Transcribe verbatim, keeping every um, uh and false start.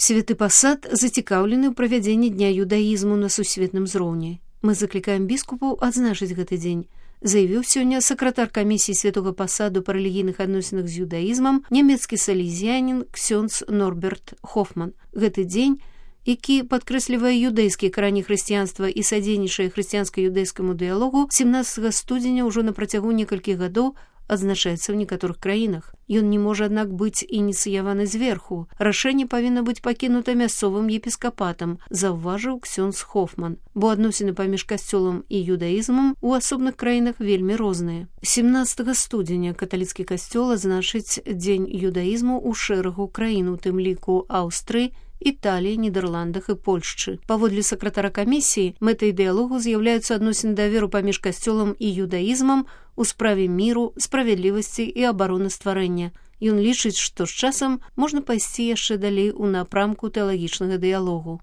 Святы пасад зацікаўлены ў правядзенні дня юдаізму на сусветным узроўні. Мы заклікаем біскупаў адзначыць гэты дзень, заявіў сёння сакратар камісіі святога пасаду па рэлігійных адносінах з юдаізмам нямецкі салезіянін ксёндз Норберт Хофман. Гэты дзень, які падкрэслівае юдэйскія карані хрысціянства і садзейнічае хрысціянска-юдэйскаму дыялогу, семнаццатага студзеня ўжо на працягу некалькіх гадоў адзначаецца ў некаторых краінах. Ён не можа, аднак, быць ініцыяваны зверху. Рашэнне павінна быць пакінута мясцовым епіскапатам, заўважыў ксёндз Хофман, бо адносіны паміж касцёлам і юдаізмам у асобных краінах вельмі розныя. семнаццатага студзеня каталіцкі касцёл адзначыць дзень юдаізму ў шэрагу краін, у тым ліку Аўстрыі, Італіі, Нідерландах і Польшчы. Паводле сакратара камісіі, мэтай дыялогу з'яўляюцца адносіны даверу паміж касцёлам і юдаізмам у справе міру, справядлівасці і абароны стварэння. Ён лічыць, што з часам можна пайсці яшчэ далей у напрамку тэалагічнага дыялогу.